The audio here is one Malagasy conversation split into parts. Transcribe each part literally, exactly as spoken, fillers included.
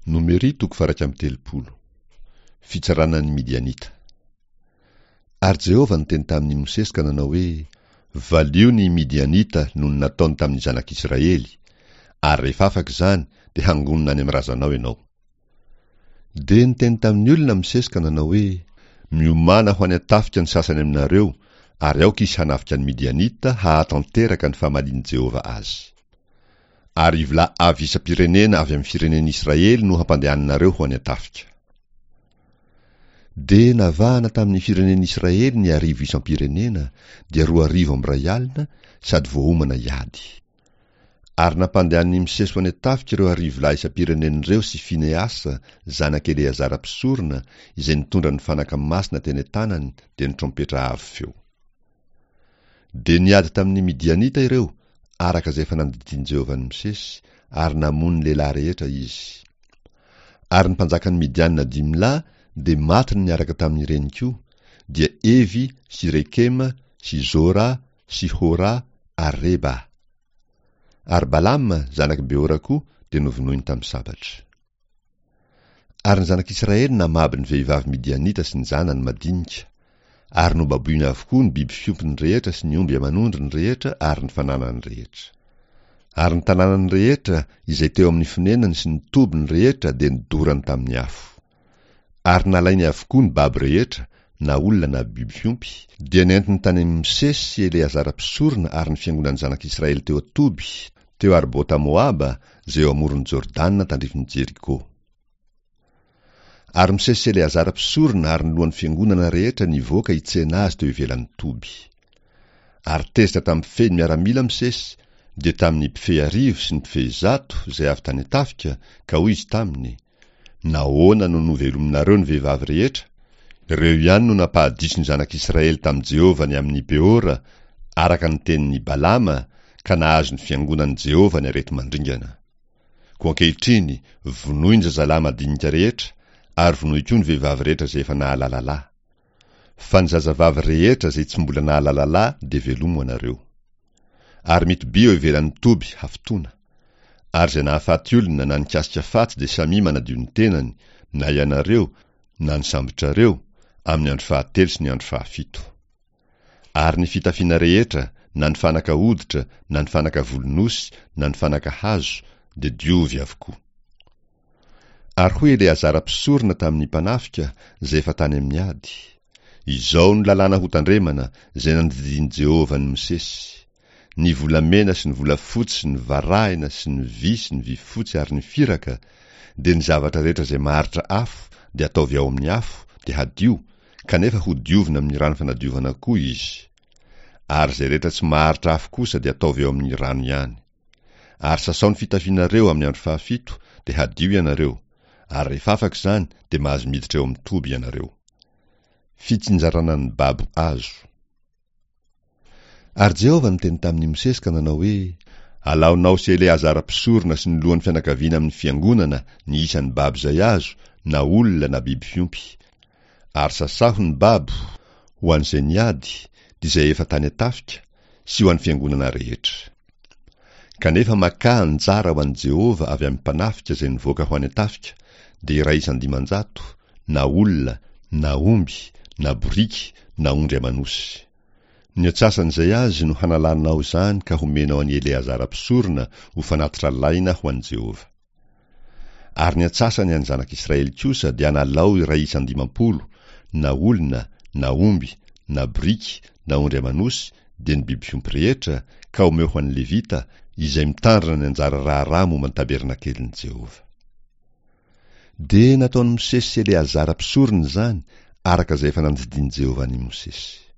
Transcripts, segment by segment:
Nomery toko faha-iraika amby telopolo. Fitsarana ny Midianita. Ary Jehovah niteny tamin'i Mosesy ka nanao hoe, Valio ny Midianita noho ny nataony tamin'ny zanak'Israely, ary rehefa afaka izany dia hangonina any amin'ny razanao ianao. Dia niteny tamin'ny olona Mosesy ka nanao hoe, Miomàna ho any an-tafika ny sasany aminareo, ary aoka izy hanafika ny Midianita hahatanteraka ny famalian'i Jehovah azy. Arivo lahy avy isam-pirenena avy amin'ny firenen'Israely no hampandehaninareo ho any an-tafika. Dia navahana tamin'ny firenen'Israely ny arivo isam-pirenena, dia roa arivo amby iray alina, sady voaomana hiady. Ary nampandehanin'i Mosesy ho any an-tafika ireo arivo lahy isam-pirenena ireo sy Fineasa, zanak'i Eleazara mpisorona, izay nitondra ny fanaka masina teny an-tanany, dia ny trompetra avo feo. Dia niady tamin'ny Midianita ireo, araka izay efa nandidian'i Jehovah an'i Mosesy, ary namono ny lehilahy rehetra izy. Ary ny mpanjakan'ny Midianina dimy lahy dia matiny niaraka tamin'ireny koa, dia Evy sy Rekema sy Zora sy Hora ary Reba. Ary Balama, zanak'i Beora koa, dia novonoiny tamin'ny sabatra. Ary ny zanak'Israely namabo ny vehivavy Midianita sy ny zanany madinika, ary nobaboiny avokoa ny biby fiompiny rehetra sy ny omby aman'ondriny rehetra ary ny fananany rehetra. Ary ny tanànany rehetra izay teo amin'ny fonenany sy ny tobiny rehetra dia nodorany tamin'ny afo. Ary nalainy avokoa ny babo rehetra, na olona na biby fiompy, dia nentiny tany amin'i Mosesy sy Eleazara mpisorona ary ny fiangonan'ny zanak'Israely teo an-toby, teo Arbota Moaba, izay eo amoron'i Jordana tandrifin'i Jeriko. Ary Mosesy sy Eleazara mpisorona ary ny lohan'ny fiangonana rehetra nivoaka hitsena azy teo ivelan'ny toby. Ary tezitra tamin'ny mpifehy ny miaramila Mosesy, dia tamin'ny mpifehy arivo sy ny mpifehy zato izay avy tany an-tafika, ka hoy izy taminy, Nahoana no novelominareo ny vehivavy rehetra? Ireo ihany no nampahadiso ny zanak'Israely tamin'i Jehovah ny amin'i Peora, araka ny tenin'i Balama, ka nahazo ny fiangonan'i Jehovah ny areti-mandringana. Koa ankehitriny, vonoy ny zazalahy madinika rehetra, ary vonoy koa ny vehivavy rehetra izay efa nahalala lahy. Fa ny zazavavy rehetra izay tsy mbola nahalala lahy dia velomo anareo. Ary mitobia eo ivelan'ny toby hafitoana. Ary izay nahafaty olona na nikasika faty dia samia manadio ny tenany, na ianareo, na ny sambotrareo, amin'ny andro fahatelo sy ny andro fahafito. Ary ny fitafiana rehetra, na ny fanaka hoditra, na ny fanaka volon'osy, na ny fanaka hazo, dia diovy avokoa. Ary hoy Eleazara mpisorona tamin'ny mpanafika, izay efa tany amin'ny ady, Izao no lalàna hotandremana, izay nandidian'i Jehovah an'i Mosesy, Ny volamena sy ny volafotsy sy ny varahina sy ny vy sy ny vifotsy ary ny firaka, dia ny zavatra rehetra izay maharitra afo dia ataovy ao amin'ny afo, dia hadio, kanefa hodiovina amin'ny rano fanadiovana koa izy. Ary izay rehetra tsy maharitra afo kosa dia ataovy ao amin'ny rano ihany. Ary sasao ny fitafianareo amin'ny andro fahafito, dia hadio ianareo, ary rehefa afaka izany dia mahazo miditra eo amin'ny toby ianareo. Fitsinjarana ny babo azo. Ary Jehovah niteny tamin'i Mosesy ka nanao hoe, Alaonao sy Eleazara mpisorona sy ny lohan'ny fianakaviana amin'ny fiangonana ny isan'ny babo izay azo, na olona na biby fiompy. Ary sasaho ny babo, ho an'izay niady, dia izay efa tany an-tafika, sy ho an'ny fiangonana rehetra. Kanefa makà anjara ho an'i Jehovah avy amin'ny mpanafika izay nivoaka ho any an-tafika, dia iray isan-dimanjato, na olona, na omby, na boriky, na ondry aman'osy. Ny antsasan'izay azy no hanalanao izany ka homenao an'i Eleazara mpisorona ho fanatitra alaina ho an'i Jehovah. Ary ny antsasany an'ny zanak'Israely kosa dia analao iray isan-dimampolo, na olona, na omby, na boriky, na ondry aman'osy, dia ny biby fiompy rehetra, ka omeo ho an'ny Levita, izay mitandrina ny anjara raharaha momba ny tabernakelin'i Jehovah. Dia nataon'i Mosesy sy Eleazara mpisorona izany, araka izay efa nandidian'i Jehovah an'i Mosesy.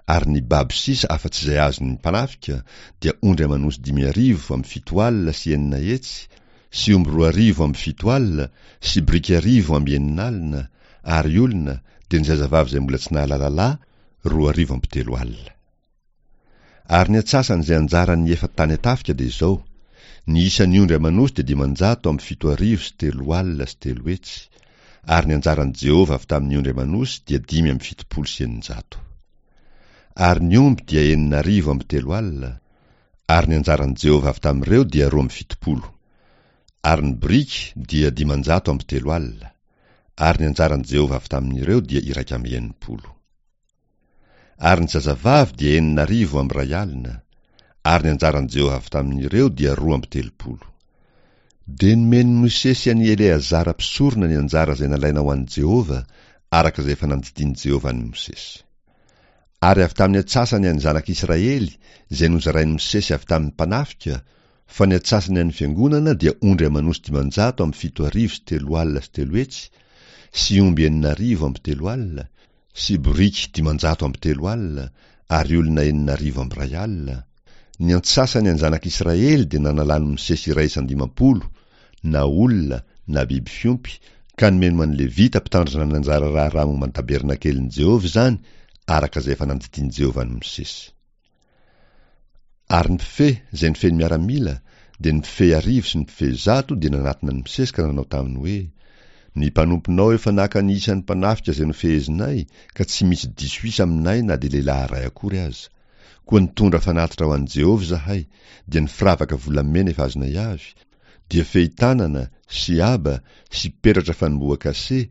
Ary ny babo sisa afa-tsy izay azon'ny mpanafika dia ondry aman'osy dimy arivo amby fito alina sy enina hetsy, sy omby roa arivo amby fito alina, sy biriky arivo amby enina alina, ary olona, dia ny zazavavy izay mbola tsy nahalala lahy, roa arivo amby telo alina. Ary ny antsasan'izay anjaran'ny efa tany an-tafika dia izao, ny isan'ny ondry aman'osy dia dimanjato amby fito arivo sy telo alina sy telo hetsy, ary ny anjaran'i Jehovah avy tamin'ny ondry aman'osy dia dimy amby fitopolo sy eninjato. Ary ny omby dia enina arivo amby telo alina, ary ny anjaran'i Jehovah avy tamin'ireo dia roa amby fitopolo. Ary ny boriky dia dimanjato amby telo alina, ary ny anjaran'i Jehovah avy tamin'ireo dia iraika amby enimpolo. Ary ny zazavavy dia enina arivo amby iray alina, ary ny anjaran'i Jehovah avy tamin'ireo dia roa amby telopolo. Dia nomen'i Mosesy an'i Eleazara mpisorona ny anjara izay nalaina ho an'i Jehovah, araka izay efa nandidian'i Jehovah an'i Mosesy. Ary avy tamin'ny antsasany an'ny zanak'Israely izay nozarain'i Mosesy avy tamin'ny mpanafika, fa ny antsasany an'ny fiangonana dia ondry aman'osy dimanjato amby fito arivo sy telo alina sy telo hetsy, sy omby enina arivo amby telo alina, sy boriky dimanjato amby telo alina, ary olona enina arivo amby iray alina. Ny antsasany an'ny zanak'Israely dia nanalan'i Mosesy iray isan-dimampolo, na olona na biby fiompy, ka nomeny ho an'ny Levita mpitandrina ny anjara raharaha momba ny tabernakelin'i Jehovah izany, araka izay efa nandidian'i Jehovah an'i Mosesy. Ary ny mpifehy izay nifehy ny miaramila, dia ny mpifehy arivo sy ny mpifehy zato dia nanatona an'i Mosesy ka nanao taminy hoe, Ny mpanomponao efa naka ny isan'ny mpanafika izay nofehezinay, ka tsy misy diso isa aminay na dia lehilahy iray akory aza. Koa nitondra fanatitra ho an'i Jehovah izahay, dia ny firavaka volamena efa azonay avy, dia fehi-tanana, sy aba, sy peratra fanombohan-kase,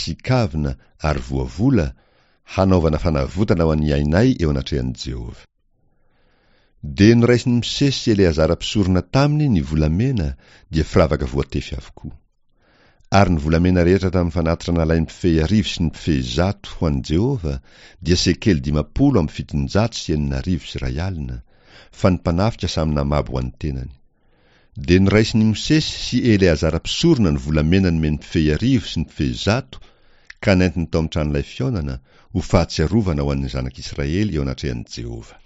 sy kavina, ary voavola, hanaovana fanavotana ho an'ny ainay eo anatrehan'i Jehovah. Dia noraisin'i Mosesy sy Eleazara mpisorona taminy ny volamena, dia firavaka voatefy avokoa. Ary ny volamena rehetra tamin'ny fanatitra nalain'ny mpifehy arivo sy ny mpifehy zato ho an'i Jehovah dia sekely dimampolo amby fitonjato sy enina arivo sy iray alina, fa ny mpanafika samy namabo ho an'ny tenany. Dia noraisin'i Mosesy sy Eleazara mpisorona ny volamena nomen'ny mpifehy arivo sy ny mpifehy zato, ka nentiny tao amin'ny tranolay fihaonana, ho fahatsiarovana ho an'ny zanak'Israely eo anatrehan'i Jehovah.